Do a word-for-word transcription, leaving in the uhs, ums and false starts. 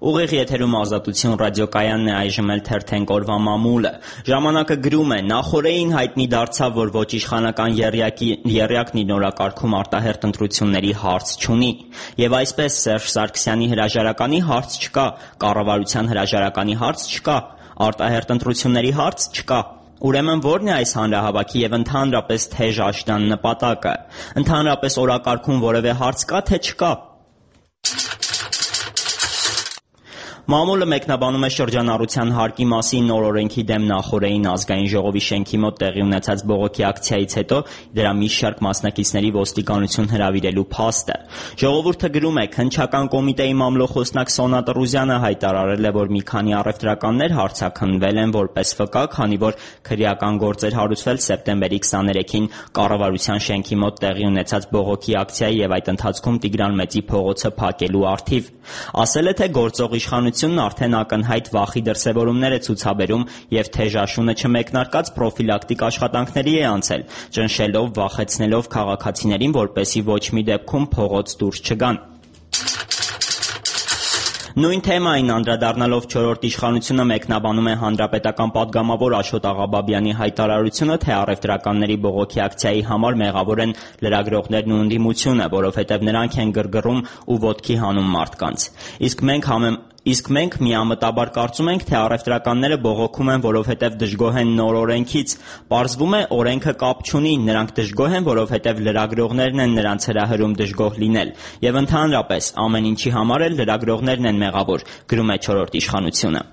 Ուղիղ եթերում Ազատություն ռադիոկայանն է, այժմ էլ թերթենք օրվա մամուլը։ Ժամանակը գրում է. նախորդին հայտնի դարձավ, որ ոչ իշխանական եռյակն իր օրակարգում արտահերթ ընտրությունների հարց չունի։ Եվ այսպես Սերժ Սարգսյանի հրաժարականի հարց չկա, կառավարության հրաժարականի հարց չկա, արտահերթ ընտրությունների հարց չկա։ Ուրեմն ո՞րն է այս հանրահավաքի եւ ընդհանրապես թեժ աշնան նպատակը։ Ընդհանրապես օրակարգում որևէ հարց կա, թե չկա։ Մամուլը մեկնաբանում է շրջանառության հարկի մասին նոր օրենքի դեմ նախօրեին ազգային ժողովի շենքի մոտ տեղի ունեցած բողոքի ակցիայից հետո դրա մի շարք մասնակիցների ոստիկանություն հրավիրելու փաստը։ Ժողովուրդը գրում է. քննչական կոմիտեի մամլոխոսնակ Սոնա Տրուզյանը հայտարարել է, որ մի քանի առևտրականներ հարցաքննվել են որպես վկա, քանի որ քրեական գործ էր հարուցվել սեպտեմբերի քսաներեքին կառավարության շենքի մոտ տեղի ունեցած բողոքի ակցիայի եւ այդ ընթացքում Տիգրան Մեծի փողոցը փակելու առթիվ։ Ասել է, թե գործող իշխանությունն արդեն ակնհայտ վախի դրսևորումներ է ցուցաբերում եւ թեժաշունը չմեկնարկած պրոֆիլակտիկ աշխատանքների է անցել, ճնշելով, վախեցնելով քաղաքացիներին, որպեսզի ոչ մի դեպքում փողոց դուրս չգան։ Նույն թեմային անդրադառնալով չորրորդ իշխանությունը մեկնաբանում է հանրապետական պատգամավոր Աշոտ Աղաբաբյանի հայտարարությունը, թե առևտրականների բողոքի ակցիայի համար մեղավոր են լրագրողներն ու ընդդիմությունը, որովհետև նրանք են գրգռում ու ոտքի հանում մարդկանց։ Իսկ մենք համեմ Իսկ մենք միամտաբար կարծում ենք, թե առևտրականները բողոքում են, որովհետև դժգոհ են նոր օրենքից։ Պարզվում է, օրենքը կապ չունի, նրանք դժգոհ են, որովհետև լրագրողներն են նրանց հրահրում դժգոհ լինել։ Եվ ընդհանրապես, ամեն ինչի համար էլ լրագրողներն են մեղավոր, գրում է չորրորդ իշխանությունը։